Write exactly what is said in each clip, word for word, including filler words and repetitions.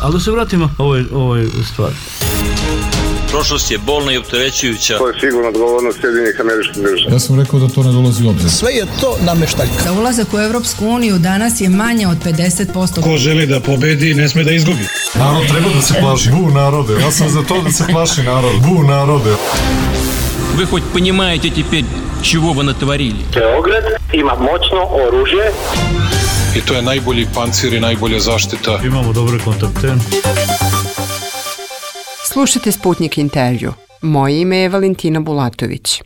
Ali da se vratimo ovoj, ovoj stvari. Prošlost je bolna i opterećujuća. To je sigurno odgovornost Sjedinjenih Američkih Država. Ja sam rekao da to ne dolazi u obzir. Sve je to nameštaljka. Za ulazak u Evropsku uniju danas je manje od pedeset posto. Ko želi da pobedi, ne sme da izgubi. Narod treba da se plaši. Bu narode. Ja sam za to da se plaši narod. Bu narode. Вы хоть понимаете теперь, чего вы натворили? Beograd ima moćno oružje. I to je najbolji pancir i najbolja zaštita. Imamo dobre kontakte. Slušajte Sputnik intervju. Moje ime je Valentina Bulatović.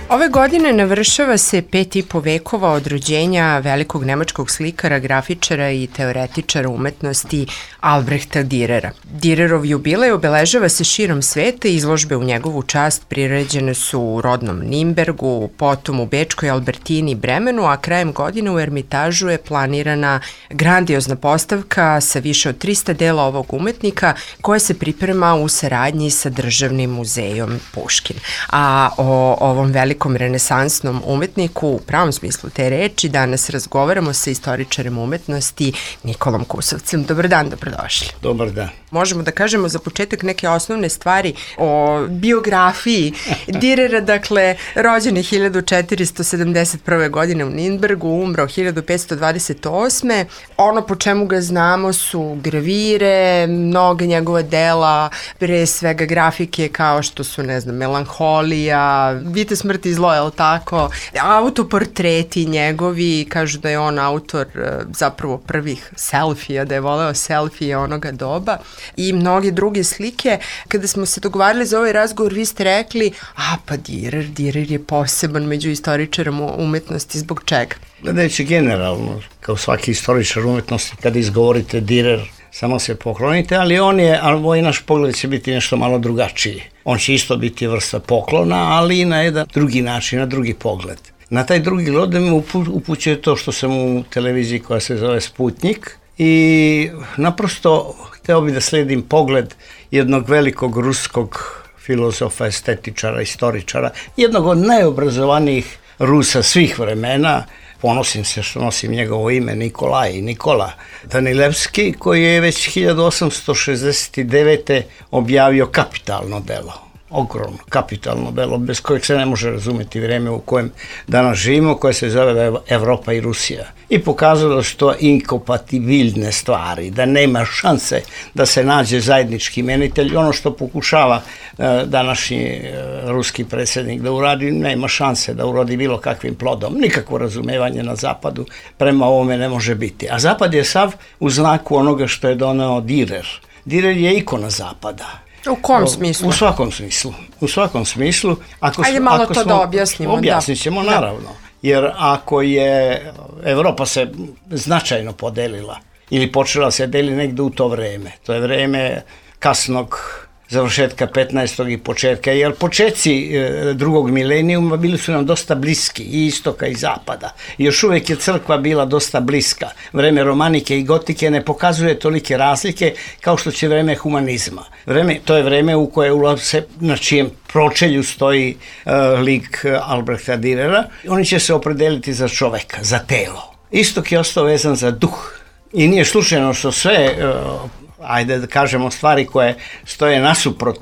Ove godine navršava se pet i po vekova od rođenja velikog nemačkog slikara, grafičara i teoretičara umetnosti Albrehta Dürera. Dürerov jubilej obeležava se širom sveta i izložbe u njegovu čast priređene su u rodnom Nimbergu, potom u Bečkoj Albertini i Bremenu, a krajem godine u Ermitažu je planirana grandiozna postavka sa više od trista dela ovog umetnika koja se priprema u saradnji sa Državnim muzejom Puškin. A o ovom velikom renesansnom umetniku u pravom smislu te reči danas razgovaramo sa istoričarem umetnosti Nikolom Kusovcem. Dobar dan, dobrodošli. Dobar dan. Možemo da kažemo za početak neke osnovne stvari o biografiji Dürera, dakle, rođen je hiljadu četiristo sedamdeset prve. godine u Nürnbergu, umro hiljadu petsto dvadeset osme. Ono po čemu ga znamo su gravire, mnoga njegova dela, pre svega grafike kao što su, ne znam, Melanholija, Vite smrti i zlo, je li tako? Autoportreti njegovi, kažu da je on autor zapravo prvih selfija, da je voleo selfije onoga doba i mnoge druge slike. Kada smo se dogovarali za ovaj razgovor, vi ste rekli, a pa Dürer, Dürer je poseban među istoričarama umetnosti, zbog čega? Gledajući generalno, kao svaki istoričar umetnosti, kada izgovorite Dürer, samo se poklonite, ali on je, ali ovaj naš pogled će biti nešto malo drugačiji. On će isto biti vrsta poklona, ali i na jedan drugi način, na drugi pogled. Na taj drugi gled mi upućuje to što sam u televiziji koja se zove Sputnik i naprosto hteo bi da sledim pogled jednog velikog ruskog filozofa, estetičara, istoričara, jednog od najobrazovanijih Rusa svih vremena. Ponosim se što nosim njegovo ime, Nikolaj, Nikola Danilevski, koji je već hiljadu osamsto šezdeset devete. objavio kapitalno delo. Ogromno kapitalno delo, bez kojeg se ne može razumeti vreme u kojem danas živimo, koje se zove Evropa i Rusija. I pokazalo su to inkompatibilne stvari, da nema šanse da se nađe zajednički imenitelj. Ono što pokušava uh, današnji uh, ruski predsjednik da uradi, nema šanse da urodi bilo kakvim plodom. Nikakvo razumevanje na zapadu prema ovome ne može biti. A zapad je sav u znaku onoga što je doneo Dürer. Dürer je ikona zapada. U kom smislu? U svakom smislu. U svakom smislu. Ako Ajde smo, malo ako to smo, da objasnimo. Objasnit ćemo, da. naravno. Jer ako je Evropa se značajno podelila ili počela se deli negde u to vreme, to je vreme kasnog završetka petnaestog i početka, jer početci drugog milenijuma bili su nam dosta bliski, i istoka i zapada. I još uvek je crkva bila dosta bliska. Vreme romanike i gotike ne pokazuje tolike razlike kao što će vreme humanizma. Vreme, to je vreme u koje ulaze, na čijem pročelju stoji uh, lik Albrehta Dürera. Oni će se opredeliti za čoveka, za telo. Istok je ostao vezan za duh. I nije slučajno što sve uh, ajde da kažemo stvari koje stoje nasuprot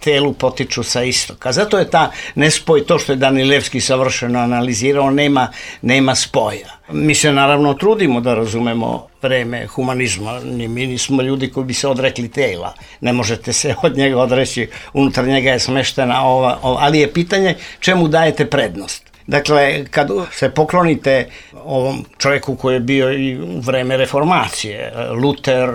telu potiču sa istoka. Zato je ta nespoj, to što je Danilevski savršeno analizirao, nema, nema spoja. Mi se naravno trudimo da razumemo vreme humanizma. Mi nismo ljudi koji bi se odrekli tela. Ne možete se od njega odreći, unutar njega je smeštena ova, ova, ali je pitanje čemu dajete prednost. Dakle, kad se poklonite ovom čovjeku koji je bio i u vreme reformacije, Luter,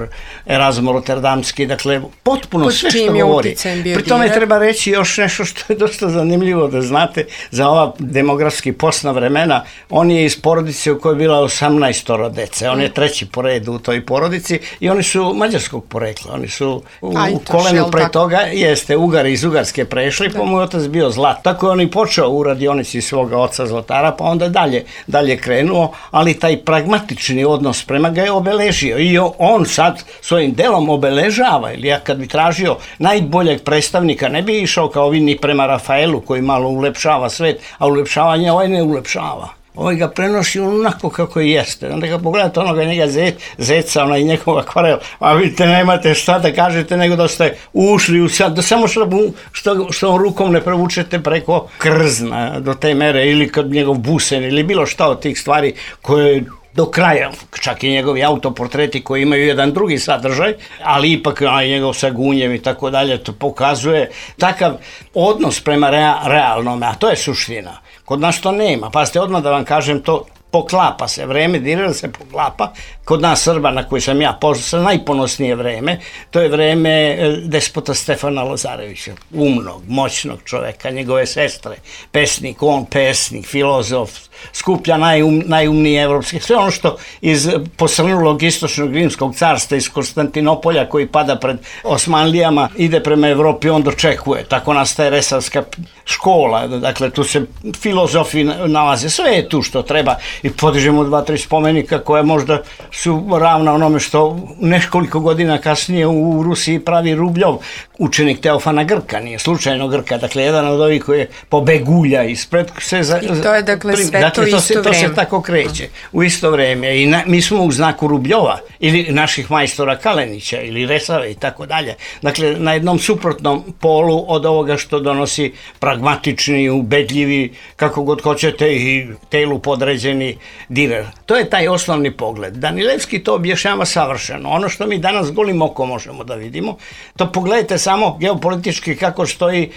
Erazmo Rotterdamski, dakle, potpuno sve što govori. Pri tome treba reći još nešto što je dosta zanimljivo da znate za ova demografski posna vremena. On je iz porodice u kojoj je bila osamnaestoro dece. On je treći po redu u toj porodici i oni su mađarskog porekla. Oni su u, u kolenu pre toga, jeste, Ugari iz Ugarske prešli, pa mu je otac bio Zlat. Tako je on i počeo u radionici svoga oca Zlatara, pa onda dalje, dalje krenuo, ali taj pragmatični odnos prema ga je obeležio i on sad svojim delom obeležava, ili ja kad bi tražio najboljeg predstavnika, ne bi išao kao vi ni prema Rafaelu koji malo ulepšava svet, a ulepšavanje ovaj ne ulepšava. ovaj ga prenosi onako kako i jeste. Onda ga pogledate onoga njega zec, zeca, onaj njegov akvarel, a vidite, nemate šta da kažete nego da ste ušli u sad, da samo što, što, što rukom ne provučete preko krzna do te mere, ili kad njegov busen, ili bilo šta od tih stvari koje do kraja, čak i njegovi autoportreti koji imaju jedan drugi sadržaj, ali ipak onaj njegov sa gunjem i tako dalje, to pokazuje takav odnos prema rea, realnome, a to je suština. Kod nas to nema, pa ste odmah da vam kažem, to poklapa se, vreme Direra se poklapa, kod nas Srba na koji sam ja poznao, najponosnije vreme, to je vreme despota Stefana Lazarevića, umnog, moćnog čoveka, njegove sestre, pesnik, on pesnik, filozof, skuplja najum, najumnije evropske, sve ono što iz posrnulog istočnog rimskog carstva, iz Konstantinopolja koji pada pred Osmanlijama, ide prema Evropi, on dočekuje, tako nastaje Resavska škola, dakle tu se filozofi nalaze, sve je tu što treba i podižemo dva, tri spomenika koje možda su ravna onome što nekoliko godina kasnije u Rusiji pravi Rubljov, učenik Teofana Grka, nije slučajno Grka, dakle jedan od ovih koji je pobegulja ispred se za, i to je dakle sve dakle, to, to isto se, vreme. To se tako kreće u isto vreme i na, mi smo u znaku Rubljova ili naših majstora Kalenića ili Resave i tako dalje. Dakle, na jednom suprotnom polu od ovoga što donosi pragmatični, ubedljivi, kako god hoćete i telu podređeni Direr. To je taj osnovni pogled. Danilevski to objašnjava savršeno. Ono što mi danas golim okom možemo da vidimo, to pogledajte samo geopolitički kako stoji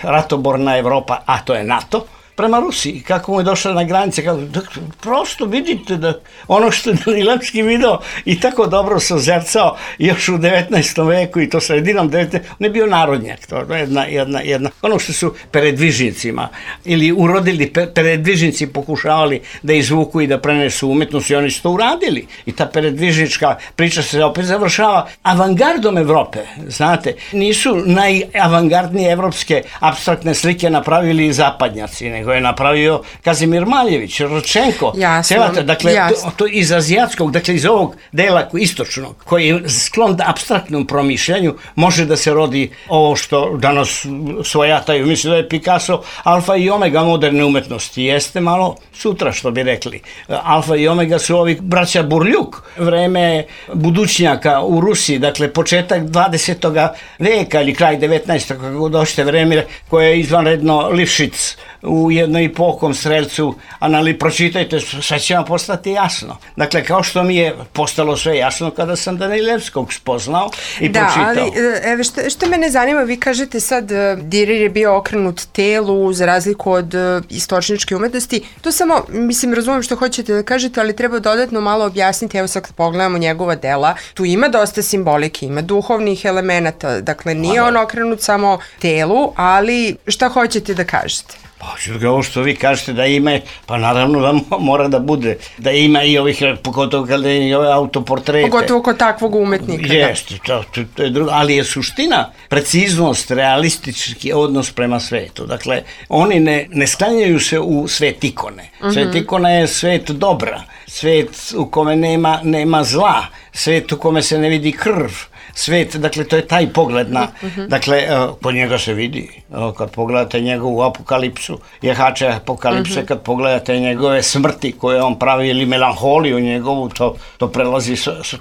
ratoborna Evropa, a to je NATO, prema Rusiji, kako mu je došla na granice, kako, da, prosto vidite da ono što je Danilevski video i tako dobro se ozercao još u devetnaestom veku i to sredinom devetnaestog on je bio narodnjak, to je jedna, jedna, jedna, ono što su peredvižnicima ili urodili peredvižnici pokušavali da izvuku i da prenesu umetnost i oni su to uradili i ta peredvižnička priča se opet završava avangardom Evrope, znate, nisu najavangardnije evropske apstraktne slike napravili zapadnjaci, nego je napravio Kazimir Maljević, Rodčenko, Celate, dakle, to, to iz azijatskog, dakle iz ovog dela istočnog, koji je sklon apstraktnom promišljanju, može da se rodi ovo što danas svojataju. Mislim da je Picasso alfa i omega moderne umetnosti. Jeste malo sutra, što bi rekli. Alfa i omega su ovi braća Burljuk, vreme budućnjaka u Rusiji, dakle početak dvadesetog veka ili kraj devetnaestog kako došte vreme koje je izvanredno Lifšic u jednom i pokom Strelcu, ali pročitajte, sve će vam postati jasno. Dakle, kao što mi je postalo sve jasno kada sam Danilevskog spoznao i da, pročitao. Da, ali evo, što, što mene zanima, vi kažete sad Direr je bio okrenut telu za razliku od istočničke umetnosti. To samo, mislim, razumijem što hoćete da kažete, ali treba dodatno malo objasniti. Evo sad kad pogledamo njegova dela, tu ima dosta simbolike, ima duhovnih elemenata, dakle nije on okrenut samo telu, ali šta hoćete da kažete? Pa, ovo što vi kažete da ima, pa naravno da mora da bude, da ima i ovih, pogotovo kada i ove autoportrete. Pogotovo kod takvog umetnika. Jeste, to, to, to je drugo, ali je suština, preciznost, realistički odnos prema svetu. Dakle, oni ne, ne sklanjaju se u svet ikone. Svet mm-hmm. ikona je svet dobra, svet u kome nema, nema zla, svet u kome se ne vidi krv, svet, dakle, to je taj pogled na, uh-huh. dakle, po njega se vidi, kad pogledate njegovu apokalipsu, jehače apokalipse, uh-huh. kad pogledate njegove smrti koje on pravi ili melanholiju njegovu, to, to prelazi,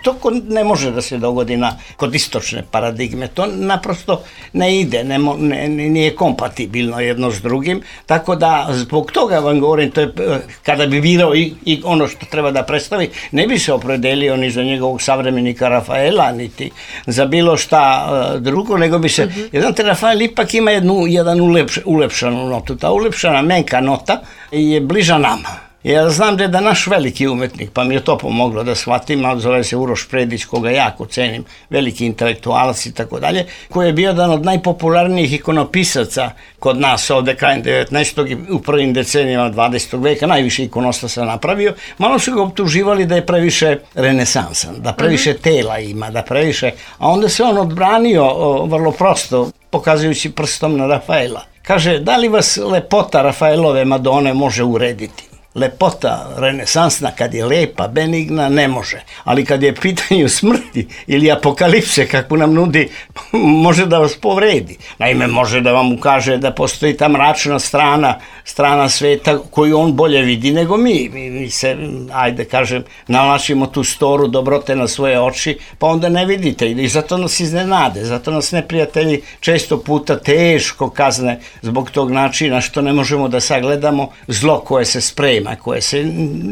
to ne može da se dogodi na, kod istočne paradigme, to naprosto ne ide, ne, ne, nije kompatibilno jedno s drugim, tako da zbog toga vam govorim, to je, kada bi birao i, i ono što treba da predstavi, ne bi se opredelio ni za njegovog savremenika Rafaela, niti za bilo šta uh, drugo, nego bi se, uh-huh. jedan Rafael ipak ima jednu, jedan ulepš, ulepšanu notu. Ta ulepšana menka nota je bliža nama. Ja znam da je da naš veliki umetnik, pa mi je to pomoglo da shvatim, ali zove se Uroš Predić, koga jako cenim, veliki intelektualac i tako dalje, koji je bio jedan od najpopularnijih ikonopisaca kod nas ovde krajem devetnaestog i u prvim decenijama dvadesetog veka, najviše ikonostasa napravio, malo su ga optuživali da je previše renesansan, da previše uh-huh. tela ima, da previše, a onda se on odbranio o, vrlo prosto, pokazujući prstom na Rafaela. Kaže, da li vas lepota Rafaelove Madone može urediti? lepota renesansna, kad je lepa, benigna, ne može. Ali kad je pitanju smrti ili apokalipse, kako nam nudi, može da vas povredi. Naime, može da vam ukaže da postoji ta mračna strana, strana sveta koju on bolje vidi nego mi. Mi, mi se, ajde kažem, nalačimo tu storu dobrote na svoje oči, pa onda ne vidite. I zato nas iznenade, zato nas neprijatelji često puta teško kazne zbog tog načina što ne možemo da sagledamo zlo koje se sprema, koje se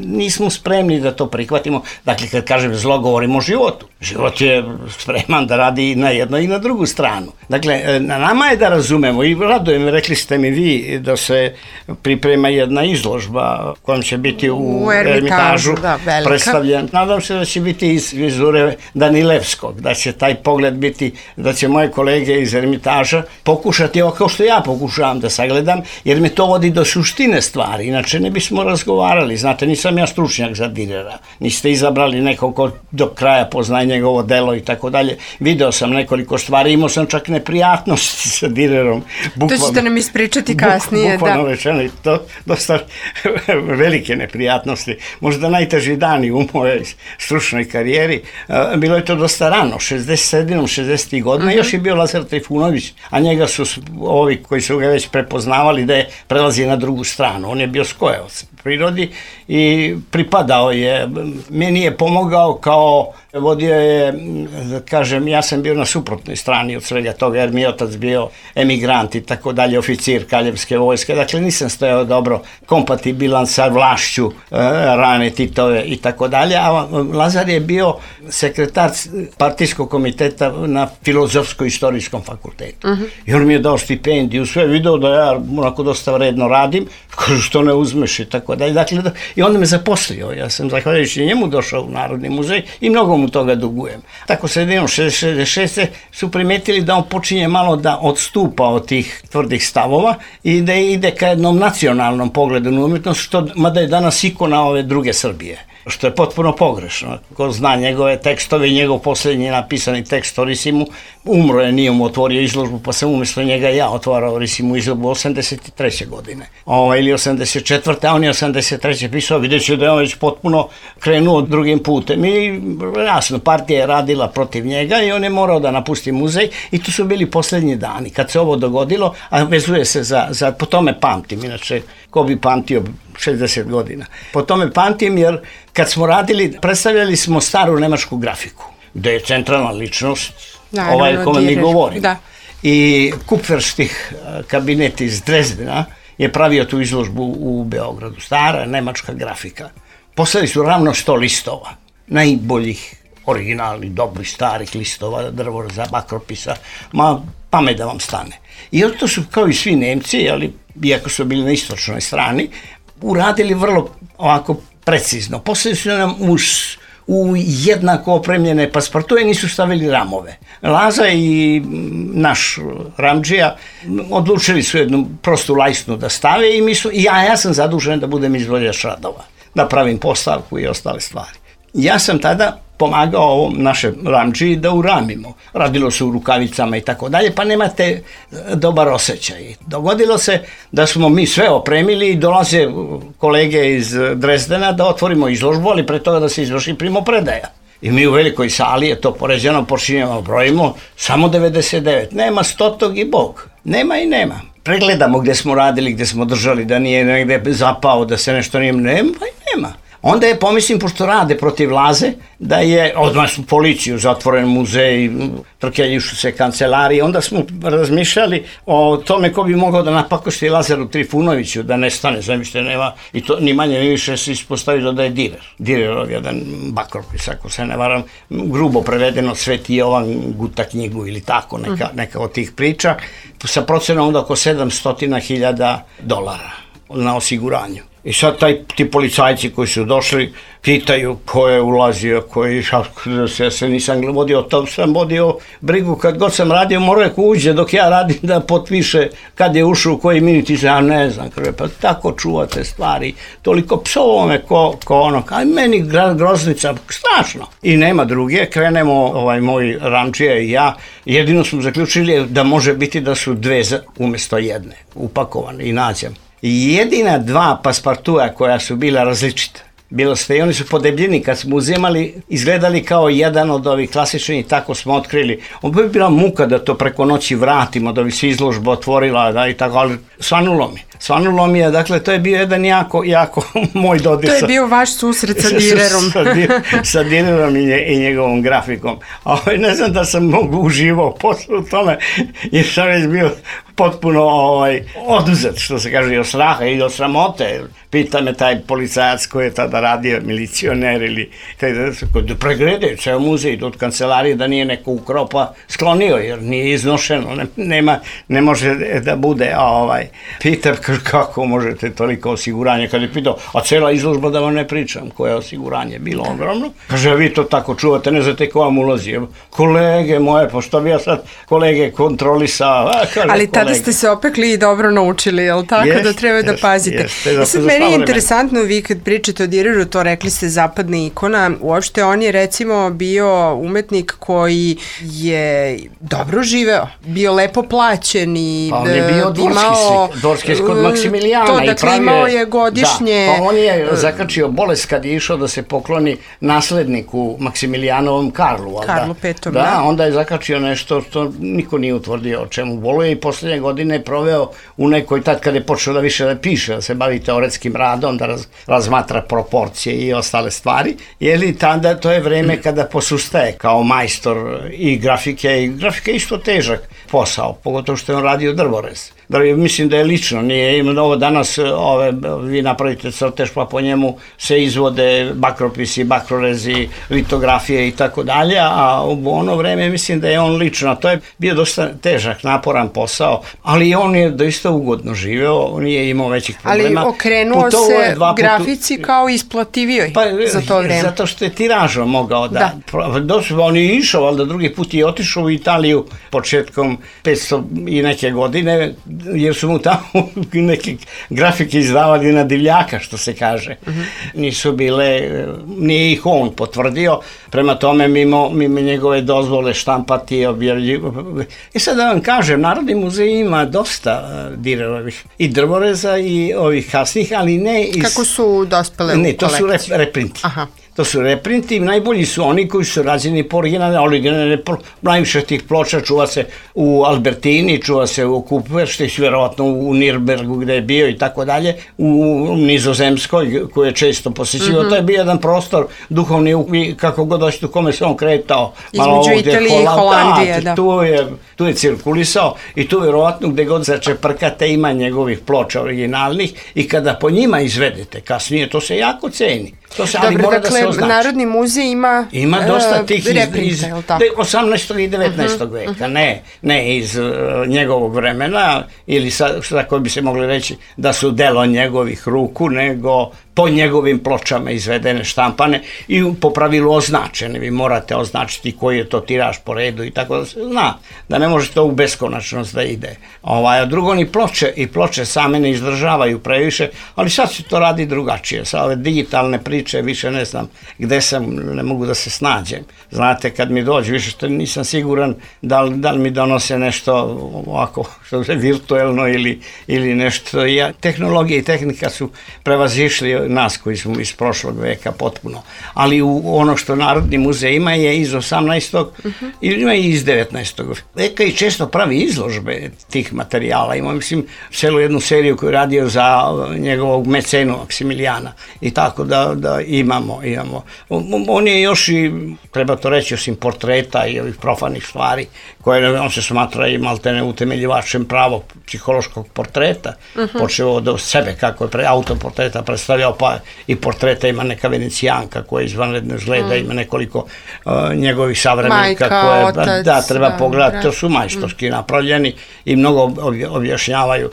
nismo spremni da to prihvatimo. Dakle, kad kažem zlo, govorimo o životu. Život je spreman da radi na jednu i na drugu stranu. Dakle, na nama je da razumemo i radujem, rekli ste mi vi da se priprema jedna izložba kojom će biti u, u Ermitažu da, predstavljen. Nadam se da će biti iz vizure Danilevskog, da će taj pogled biti, da će moje kolege iz Ermitaža pokušati, ovo kao što ja pokušavam da sagledam, jer me to vodi do suštine stvari, inače ne bismo razgovarali. Znate, nisam ja stručnjak za Direra, niste izabrali nekog ko do kraja poznaje njegovo delo i tako dalje. Video sam nekoliko stvari, imao sam čak neprijatnosti sa Direrom. Bukvalno, to ćete nam ispričati kasnije. Bukvalno da. rečeno, to dosta velike neprijatnosti. Možda najteži dani u mojoj stručnoj karijeri. Bilo je to dosta rano, šezdeset sedam šezdeset godina, uh-huh. Još je bio Lazar Trifunović, a njega su ovi koji su ga već prepoznavali da je prelazi na drugu stranu. On je bio skojevac u prirodi i pripadao je, meni je pomogao kao vodio je, da kažem, ja sam bio na suprotnoj strani od svega toga, jer mi je otac bio emigrant i tako dalje, oficir Kraljevske vojske, dakle nisam stojao dobro kompatibilan sa vlašću e, rane Titove i tako dalje, a Lazar je bio sekretar partijskog komiteta na Filozofsko-istorijskom fakultetu. Uh-huh. I on mi je dao stipendiju, sve video da ja onako dosta vredno radim, kažu što ne uzmeš i tako dalje, dakle, da, i onda me zaposlio, ja sam zahvaljujući njemu došao u Narodni muzej i mnogo mu toga dugujem. Tako sredinom šezdeset šeste su primetili da on počinje malo da odstupa od tih tvrdih stavova i da ide ka jednom nacionalnom pogledu na umjetnost, što mada je danas ikona ove druge Srbije, što je potpuno pogrešno. Ko zna njegove tekstove i njegov posljednji napisani tekst o Risimu, umro je, nije mu otvorio izložbu, pa sam umjesto njega ja otvarao Risimu izložbu osamdeset treće godine. O, ili osamdeset četvrte a on je osamdeset treće pisao, vidjet ću da je on već potpuno krenuo drugim putem. I jasno, partija je radila protiv njega i on je morao da napusti muzej i tu su bili posljednji dani. Kad se ovo dogodilo, a vezuje se za, za po tome pamtim, inače ko bi pamtio šezdeset godina. Po tome pamtim jer kad smo radili, predstavljali smo staru nemačku grafiku, gde je centralna ličnost, da, ovaj kome mi govorimo. Da. I Kupferštih kabinet iz Drezdena je pravio tu izložbu u Beogradu. Stara nemačka grafika. Poslali su ravno sto listova, najboljih, originalnih, dobrih, starih listova, drvora, bakropisa, ma pamet da vam stane. I to su, kao i svi Nemci, ali iako su bili na istočnoj strani, uradili vrlo ovako precizno. Poslali su nam uz u jednako opremljene paspartuje, nisu stavili ramove. Laza i naš Ramdžija odlučili su jednu prostu lajsnu da stave i mi su, ja, ja sam zadužen da budem izvođač radova, da pravim postavku i ostale stvari. Ja sam tada pomagao ovom našem Ramdžiji da uramimo. Radilo se u rukavicama i tako dalje, pa nemate dobar osjećaj. Dogodilo se da smo mi sve opremili i dolaze kolege iz Drezdena da otvorimo izložbu, ali pre toga da se izvrši primopredaja. I mi u velikoj sali je to poređeno, počinjemo, brojimo, samo devedeset devet. Nema stotog i bog. Nema i nema. Pregledamo gde smo radili, gde smo držali, da nije negde zapao, da se nešto nije, nema i nema. Onda je, pomislim, pošto rade protiv Laze, da je, odmah su policiju, zatvoren muzej, trkeljišu se kancelarije, onda smo razmišljali o tome ko bi mogao da napakosti Lazaru Trifunoviću, da nestane, zamišljate, nema, i to ni manje ni više se ispostavilo da je Direr. Direrov jedan bakropis, ako se ne varam, grubo prevedeno Sveti Jovan guta knjigu ili tako, neka, neka od tih priča, sa procenom onda oko sedamsto hiljada dolara na osiguranju. I sad taj, ti policajci koji su došli pitaju ko je ulazio, koji, ja se nisam vodio, to sam vodio brigu, kad god sam radio morao je ko uđe dok ja radim da potpiše kad je ušao u koji minut i ja ne znam, pa tako čuvate stvari, toliko psovome ko, ko ono, aj meni groznica, strašno. I nema druge, krenemo ovaj moj Ramdžija i ja, jedino smo zaključili da može biti da su dve umjesto jedne, upakovane i nađem. jedina dva paspartua koja su bila različita. Bilo sve i oni su po debljini kad smo uzimali izgledali kao jedan od ovih klasičnih, tako smo otkrili. On bi bila muka da to preko noći vratimo, da bi se izložba otvorila, da, i tako, ali svanulo mi. Svanulo mi je, dakle, to je bio jedan jako, jako moj dodir. To je bio vaš susret sa Direrom. sa, sa, sa Direrom i, nje, i njegovom grafikom. A ne znam da sam mogu uživao posle u tome, jer sam već bio potpuno ovaj, oduzet, što se kaže, i od straha i od sramote. Pita me taj policajac koji je tada radio, milicioner ili da pregledaju ceo muzej od kancelarije da nije neko ukropa sklonio, jer nije iznošeno, ne, nema, ne može da bude. Ovaj. Pita kako možete toliko osiguranja, kad je pitao, a cela izložba da vam ne pričam, koje osiguranje bilo ogromno. Kaže, vi to tako čuvate, ne znate ko vam ulazi. Kolege moje, pa što bi ja sad kolege kontrolisao? A, kaže, ali tada kolege. Ste se opekli i dobro naučili, jel tako, jest, da treba jest, da pazite. Jest, jest, sad meni je interesantno, vi kad pričate o Direru, to rekli ste zapadna ikona, uopšte on je recimo bio umetnik koji je dobro živeo, bio lepo plaćen i pa on je bio dvorski, dvorski kod Maksimilijana. To, dakle, pravio, imao je godišnje... Da, pa on je zakačio bolest kad je išao da se pokloni nasledniku Maksimilijanovom Karlu. Karlu petom. Da, da, onda je zakačio nešto što niko nije utvrdio o čemu boluje i poslednje godine je proveo u nekoj, tad kad je počeo da više da piše, da se bavi teoretskim radom, da raz, razmatra proporcije i ostale stvari, jer tada to je vreme kada posustaje kao majstor i grafike, i grafika je isto težak posao, pogotovo što je on radio drvorez. Da, mislim da je lično, nije imeno ovo danas, ove, vi napravite crtež pa po njemu se izvode bakropisi, bakrorezi, litografije i tako dalje, a u ono vreme mislim da je on lično, to je bio dosta težak, naporan posao, ali on je doista ugodno živeo, on nije imao većih problema. Ali okrenuo Putovo se grafici putu... kao isplativijoj pa, za to vreme. Zato što je tiražom mogao da... da. On je išao, ali da drugi put je otišao u Italiju početkom petsto i neke godine, jer su mu tamo neke grafike izdavali na divljaka, što se kaže. Uh-huh. Nisu bile, nije ih on potvrdio, prema tome mimo, mimo njegove dozvole štampati i objavljivati. I sad da vam kažem, Narodni muzej ima dosta uh, Direrovih i drvoreza i ovih kasnih, ali ne iz... Kako su dospele u ne, to kolekciju? Su rep, reprinti. Aha. To su reprinti, najbolji su oni koji su rađeni po originalne, originalne, najviše tih ploča čuva se u Albertini, čuva se u Kuperštih, vjerovatno u Nirnbergu gde je bio i tako dalje, u Nizozemskoj koji je često posjećivo. Mm-hmm. To je bio jedan prostor duhovni, kako god hoćete, u kome se on kretao. Između Italije i Holandije, da. Tu je, tu je cirkulisao i tu vjerovatno gde god začeprkate ima njegovih ploča originalnih i kada po njima izvedete kasnije, to se jako ceni. To se, ali Dobro, mora dakle, da se označi. Narodni muzej ima ima dosta tih iz, reprinta, iz osamnaestog i devetnaestog Uh-huh, veka, uh-huh. ne, ne iz uh, njegovog vremena ili sa, šta koji bi se mogli reći da su delo njegovih ruku, nego po njegovim pločama izvedene, štampane i po pravilu označene. Vi morate označiti koji je to tiraž po redu i tako da se zna, da ne može to u beskonačnost da ide. Ovaj, a drugo, ni ploče i ploče same ne izdržavaju previše, ali sad se to radi drugačije. Sa ove digitalne priče više ne znam gde sam, ne mogu da se snađem. Znate, kad mi dođe, više što nisam siguran da li, da li mi donose nešto ovako, što je virtuelno ili, ili nešto. Ja, tehnologija i tehnika su prevazišli nas koji smo iz prošlog veka potpuno. Ali u ono što Narodni muzej ima je iz osamnaestog Uh-huh. ili ima i iz devetnaestog veka i često pravi izložbe tih materijala. Ima, mislim, celu jednu seriju koju je radio za njegovog mecenu Maksimilijana i tako da, da imamo, imamo. On je još i, treba to reći, osim portreta i ovih profanih stvari, koje on se smatra i maltene utemeljivačem pravog psihološkog portreta, uh-huh. počeo od sebe kako je pre, autoportreta predstavljao, pa i portreta ima neka Venecijanka koja je izvanredno izgleda, mm. ima nekoliko uh, njegovih savremenika koje otac, da, treba da, pogledati, da. to su majstorski mm. napravljeni i mnogo objašnjavaju,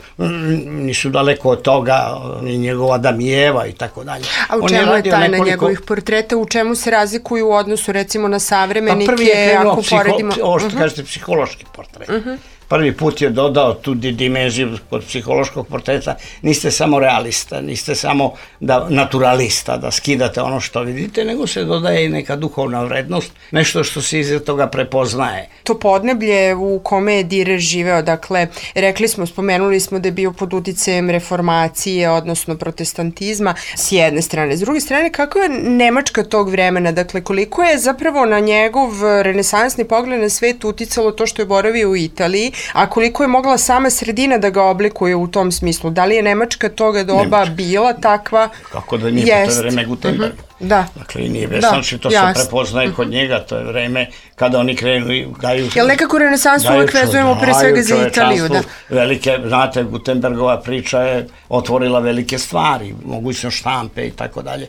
nisu daleko od toga, ni njegova Damijeva i tako dalje. A u čemu je tajna nekoliko... njegovih portreta, u čemu se razlikuju u odnosu recimo na savremenike, pa prvi je krenuo ako psiho... poredimo... ovo što uh-huh. kažete, psihološki portret. Uh-huh. prvi put je dodao tu dimenziju kod psihološkog portreta, niste samo realista, niste samo da, naturalista, da skidate ono što vidite, nego se dodaje i neka duhovna vrednost, nešto što se iza toga prepoznaje. To podneblje u kome je Dürer živeo, dakle, rekli smo, spomenuli smo da je bio pod uticajem reformacije, odnosno protestantizma, s jedne strane. S druge strane, kako je Nemačka tog vremena, dakle, koliko je zapravo na njegov renesansni pogled na svet uticalo to što je boravio u Italiji, a koliko je mogla sama sredina da ga oblikuje u tom smislu? Da li je Nemačka toga doba Nemačka. bila takva? Kako da nije, po to vreme Gutenberga. Uh-huh. Da. Dakle, i nije vesnači, to jasno. Se prepoznaje kod njega, to je vreme kada oni krenu i daju... Jel nekako renesansu uvek vezujemo pre svega za Italiju, da? Velike, znate, Gutenbergova priča je otvorila velike stvari, mogućnost štampe i tako dalje,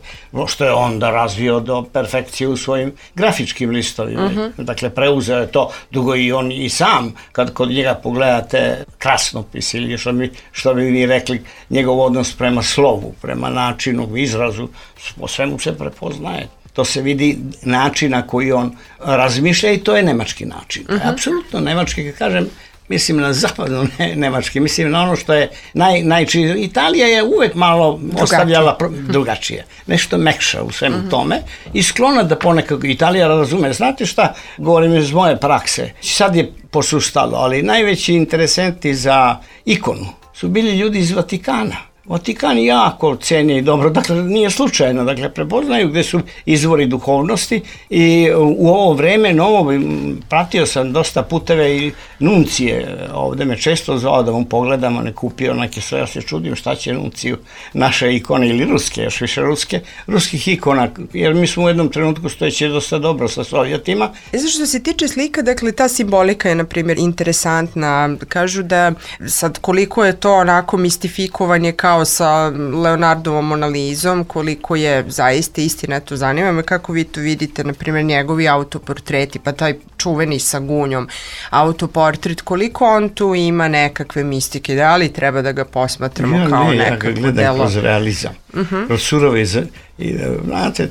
što je onda razvio do perfekcije u svojim grafičkim listovima. Uh-huh. Dakle, preuzeo je to, dugo i on i sam, kad kod njega pogledate krasnopis ili što, mi, što bi mi rekli, njegov odnos prema slovu, prema načinu, izrazu, po svemu se prepoznaje. To se vidi način na koji on razmišlja i to je nemački način. Uh-huh. Apsolutno nemački, kad kažem, mislim na zapadno ne, nemački, mislim na ono što je naj, najčiji. Italija je uvek malo drugačije. Ostavljala pro, drugačije, nešto mekša u svemu uh-huh. tome i sklona da ponekad Italija razume. Znate šta, govorim iz moje prakse, sad je posustalo, ali najveći interesenti za ikonu su bili ljudi iz Vatikana. Vatikan jako ceni i dobro, dakle nije slučajno, dakle prepoznaju gde su izvori duhovnosti i u ovo vreme novo pratio sam dosta puteve i nuncije, ovde me često zvao da mu pogledamo, ne kupio neke sve, ja se čudim šta će nunciju naše ikone ili ruske, još više ruske, ruskih ikona, jer mi smo u jednom trenutku stojeći dosta dobro sa Sovjetima. Zato što se tiče slika, dakle ta simbolika je na primjer interesantna, kažu da sad koliko je to onako mistifikovanje kao sa Leonardovom Mona Lizom, koliko je zaista istina, to zanima me kako vi to vidite, na primjer njegovi autoportreti, pa taj čuveni sa gunjom autoportret, koliko on tu ima nekakve mistike, da li treba da ga posmatramo ja, kao ne, nekakvo ja ga gledam delo? Kroz realizam, uh-huh. kroz surovi, i, znate,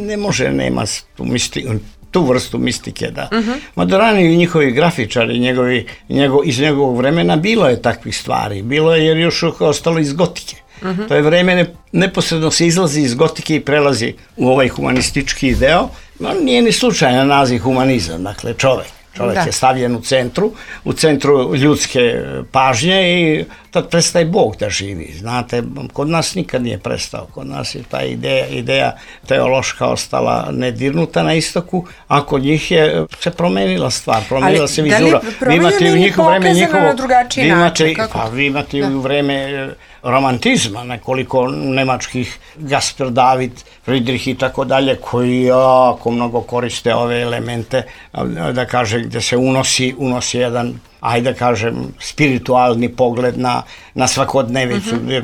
ne može, nema tu mistiku, tu vrstu mistike, da. Uh-huh. Madorani i njihovi grafičari njegovi, njegov, iz njegovog vremena bilo je takvih stvari. Bilo je jer još ostalo iz gotike. Uh-huh. To je vreme ne, neposredno se izlazi iz gotike i prelazi u ovaj humanistički deo. No, nije ni slučajno naziv humanizam, dakle čovek. Čovjek da. je stavljen u centru, u centru ljudske pažnje i tad prestaje Bog da živi. Znate, kod nas nikad nije prestao. Kod nas je ta ideja, ideja teološka ostala nedirnuta na istoku, a kod njih je se promenila stvar, promenila se vizura. Vi imate u njihovo vreme njihovo... Vi imate, pa, vi imate da. u vreme romantizma, nekoliko nemačkih Gasper David, Friedrich i tako dalje, koji jako mnogo koriste ove elemente, da kaže, gde se unosi, unosi jedan, ajde da kažem, spiritualni pogled na, na svakodnevicu, uh-huh. gde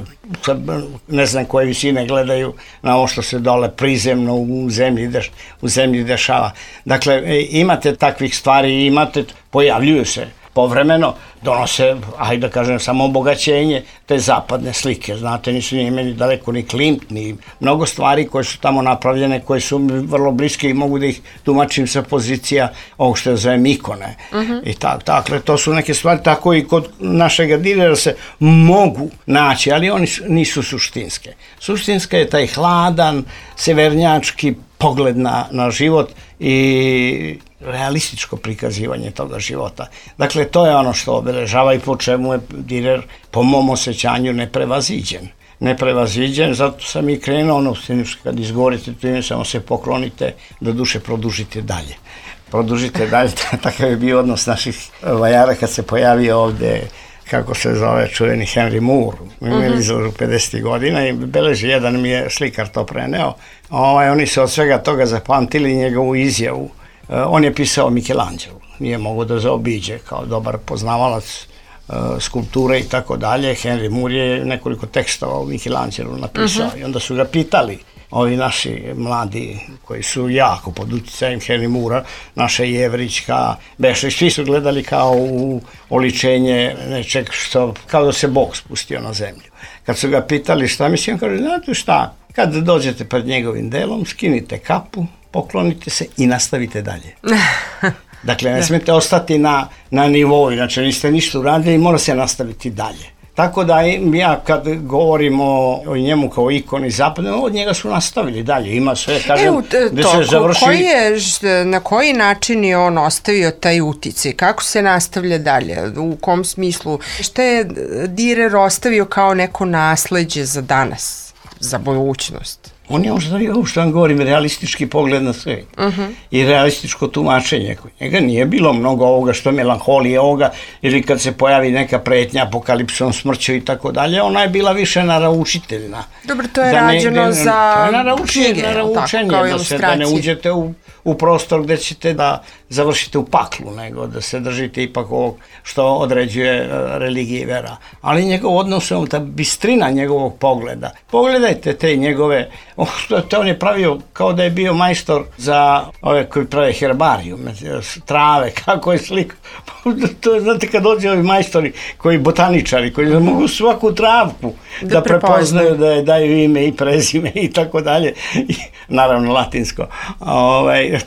ne znam koje visine gledaju na ovo što se dole prizemno u zemlji, deš, u zemlji dešava. Dakle, imate takvih stvari, imate, pojavljuju se povremeno, donose, ajde da kažem, samo obogaćenje te zapadne slike. Znate, nisu ni imeli daleko ni Klimt, ni mnogo stvari koje su tamo napravljene, koje su vrlo bliske i mogu da ih tumačim sa pozicija ovog što je zovem ikone. Uh-huh. I tako, dakle, to su neke stvari, tako i kod našeg Dürera se mogu naći, ali oni nisu suštinske. Suštinska je taj hladan, severnjački pogled na, na život i realističko prikazivanje toga života. Dakle, to je ono što obeležava i po čemu je Dürer, po mom osjećanju, neprevaziđen. Neprevaziđen, zato sam i krenuo, ono, kad izgovorite to ime, samo se poklonite, do duše produžite dalje. Produžite dalje, takav je bio odnos naših vajara kad se pojavio ovde, kako se zove, čuveni Henry Moore, imeli za pedesetih godina i beleži, jedan mi je slikar to preneo. Ovaj, oni su od svega toga zapamtili njegovu izjavu. On je pisao Michelangelo, nije mogo da zaobiđe kao dobar poznavalac uh, skulpture i tako dalje. Henry Moore je nekoliko tekstova o Michelangelo napisao uh-huh. i onda su ga pitali ovi naši mladi koji su jako pod uticajem Henry Moora, naša Jevrićka, Bešić, svi su gledali kao u oličenje nečeg što, kao da se Bog spustio na zemlju. Kad su ga pitali šta misli, on kaže, znate šta, kad dođete pred njegovim delom, skinite kapu, poklonite se i nastavite dalje. Dakle, ne Da. smete ostati na, na nivou, znači niste ništa uradili i mora se nastaviti dalje. Tako da ja kad govorim o, o njemu kao ikoni zapadne, od njega su nastavili dalje, ima sve, kažem, Evo, t- gde to, se ko- završi... koji je, ž- na koji način je on ostavio taj uticaj? Kako se nastavlja dalje? U kom smislu? Šta je Dürer ostavio kao neko nasleđe za danas, za budućnost? On je ostavio, ovo što vam govorim, realistički pogled na sve. Uh-huh. I realističko tumačenje. Kod njega nije bilo mnogo ovoga što melanholije ovoga, ili kad se pojavi neka pretnja apokalipsom, smrću i tako dalje, ona je bila više naručiteljna. Dobro, to je Da ne- rađeno da ne- za to je naručenje, knjige, jel naručenje, tako, kao da, se, da ne ilustracije. uđete u, u prostor gde ćete da završite u paklu, nego da se držite ipak ovog što određuje uh, religija i vera. Ali njegov odnos, ta bistrina njegovog pogleda. Pogledajte te njegove, oh, to on je pravio kao da je bio majstor za ove koji prave herbarijum, trave, kako je sliko. To je, znate, kad dođe ovi majstori, koji botaničari, koji mogu svaku travku da, Da prepoznaju, da je daju ime i prezime i tako dalje, i naravno latinsko. Ovaj,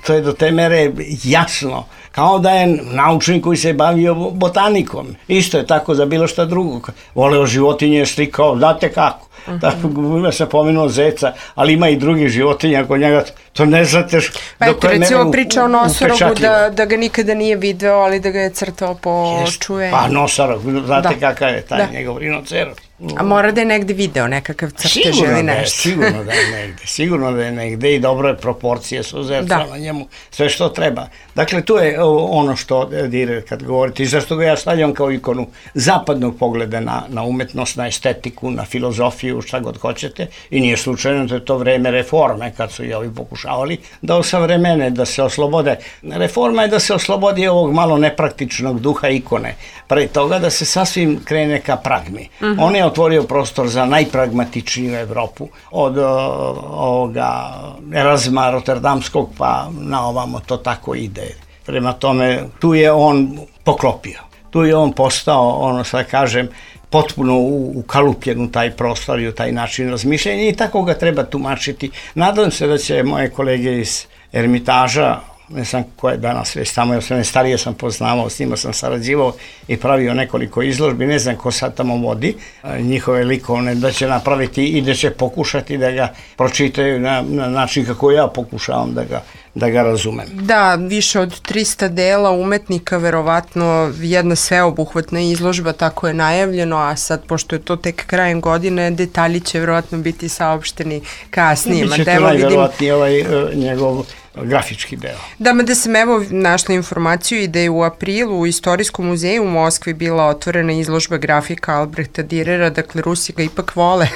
to je do te mere jasno, kao da je naučnik koji se bavio botanikom. Isto je tako za bilo šta drugo. Voleo životinje, slikao, znate kako. Uh-huh. Tako, ima se pomenuo zeca, ali ima i drugih životinja kod njega, to ne znate š, Pa do eto, koje recimo mere u- priča o nosorogu upečatljivo. da, da ga nikada nije video, ali da ga je crtao po Jest. čuvenju. Pa nosorog, znate Da. kakav je taj Da. njegov rinoceros. A mora da je negde video nekakav crtež Sigurno ili da je, nešto. sigurno da je negde, sigurno da je negde i dobre proporcije su zrcala na njemu, sve što treba. Dakle, to je o, ono što Dürer kad govorite i zašto ga ja stavljam kao ikonu zapadnog pogleda na, na umetnost, na estetiku, na filozofiju, šta god hoćete, i nije slučajno da je to vreme reforme kad su i ovi pokušavali da osavremene, da se oslobode. Reforma je da se oslobodi ovog malo nepraktičnog duha ikone, pre toga da se sasvim krene ka pragmi. Uh-huh. On je otvorio prostor za najpragmatičniju Evropu, od uh, ovoga Erazma Rotterdamskog pa na ovamo to tako ide. Prema tome, tu je on poklopio. Tu je on postao, ono što kažem, potpuno u, ukalupljen u taj prostor i u taj način razmišljanja i tako ga treba tumačiti. Nadam se da će moje kolege iz Ermitaža, ne znam ko je danas već tamo, jer sve starije sam poznavao, s njima sam sarađivao i pravio nekoliko izložbi, ne znam ko sad tamo vodi njihove likovne, da će napraviti i da će pokušati da ga pročitaju na, na način kako ja pokušavam da ga, da ga razumem. Da, više od trista dela umetnika, verovatno jedna sveobuhvatna izložba, tako je najavljeno, a sad, pošto je to tek krajem godine, detalji će verovatno biti saopšteni kasnije. Biće to najverovatnije ovaj uh, njegov grafički deo. Da, mada sam evo našla informaciju i da je u aprilu u Istorijskom muzeju u Moskvi bila otvorena izložba grafika Albrehta Dürera, dakle Rusi ga ipak vole.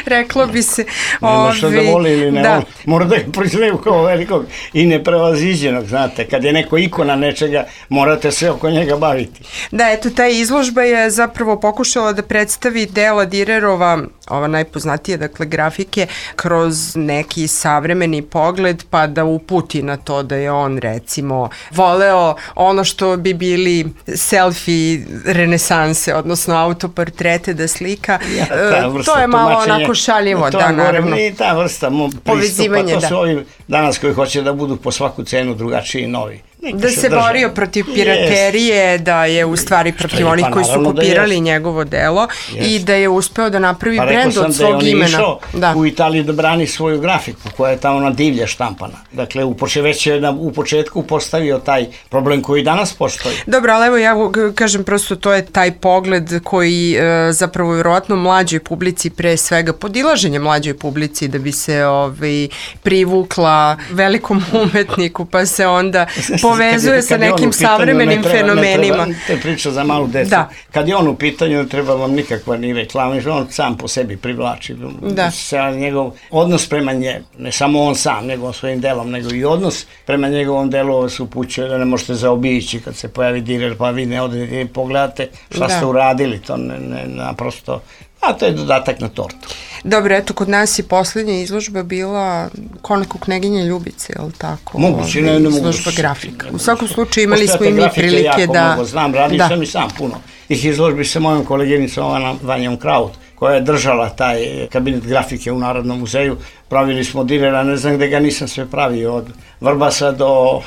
Reklo bi se. Nema što da voli ili ne da. voli. Mora da ga priznaju kao velikog i neprevaziđenog, znate. Kad je neko ikona nečega, morate se oko njega baviti. Da, eto, ta izložba je zapravo pokušala da predstavi dela Dürerova, ova najpoznatija, dakle, grafike, kroz neki savremeni pogled, pa da uputi na to da je on, recimo, voleo ono što bi bili selfie renesanse, odnosno autoportrete da slika. Ja, ta vrsta to je malo tumačenja, onako šaljivo, to da, govorim, naravno. I ta vrsta mu Povezivanje, pristupa, to su da. ovi danas koji hoće da budu po svaku cenu drugačiji i novi. Neka Da se drže. borio protiv piraterije, da je u stvari protiv je, onih pa koji su naravno da kopirali jest. njegovo delo Jest. i da je uspeo da napravi Pa rekao brend sam od da je svog on imena. išao Da. u Italiji da brani svoju grafiku koja je tamo na divlje štampana. Dakle, u, poče, već je na, u početku postavio taj problem koji danas postoji. Dobro, ali evo ja g- kažem prosto to je taj pogled koji e, zapravo vjerovatno mlađoj publici, pre svega podilaženje mlađoj publici da bi se ovaj, privukla velikom umetniku, pa se onda povezuje sa nekim savremenim fenomenima. Ne treba, priča za malu decu. Da. Kad je on u pitanju, ne treba vam nikakva ni reklama, on sam po sebi privlači. Da. Sa njegov odnos prema njemu, ne samo on sam, nego svojim delom, nego i odnos prema njegovom delu se upućuje da ne možete zaobići kad se pojavi Dürer, pa vi ne odete i pogledate šta Da. ste uradili, to ne, ne, naprosto, a to je dodatak na tortu. Dobro, eto, kod nas je posljednja izložba bila Konako knjeginje Ljubice, je li tako? Moguće, Ovaj, ne, ne mogu. izložba grafika. U svakom slučaju imali smo i mi grafike prilike jako da... Mnogo znam, radio da. sam i sam puno. Tih izložbi sa mojom koleginicom Vanjom Kraut, koja je držala taj kabinet grafike u Narodnom muzeju. Pravili smo Dürera, ne znam gde ga nisam sve pravio, od Vrbasa do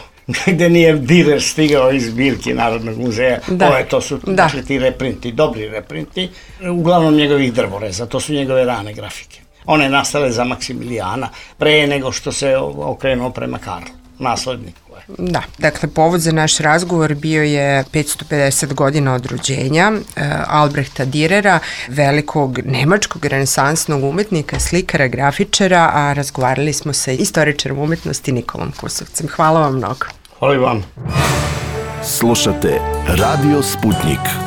gde nije Direr stigao iz zbirke Narodnog muzeja. Da. Ove, to su Da. dakle, ti reprinti, dobri reprinti, uglavnom njegovih drvoreza, to su njegove rane grafike. One nastale za Maksimilijana, pre nego što se okrenuo prema Karlu, nasledniku. Da, dakle, povod za naš razgovor bio je petsto pedeset godina od rođenja e, Albrehta Direra, velikog nemačkog renesansnog umetnika, slikara, grafičara, a razgovarali smo sa istoričarom umetnosti Nikolom Kusovcem. Hvala vam mnogo. Hvala vam. Slušate Radio Sputnik.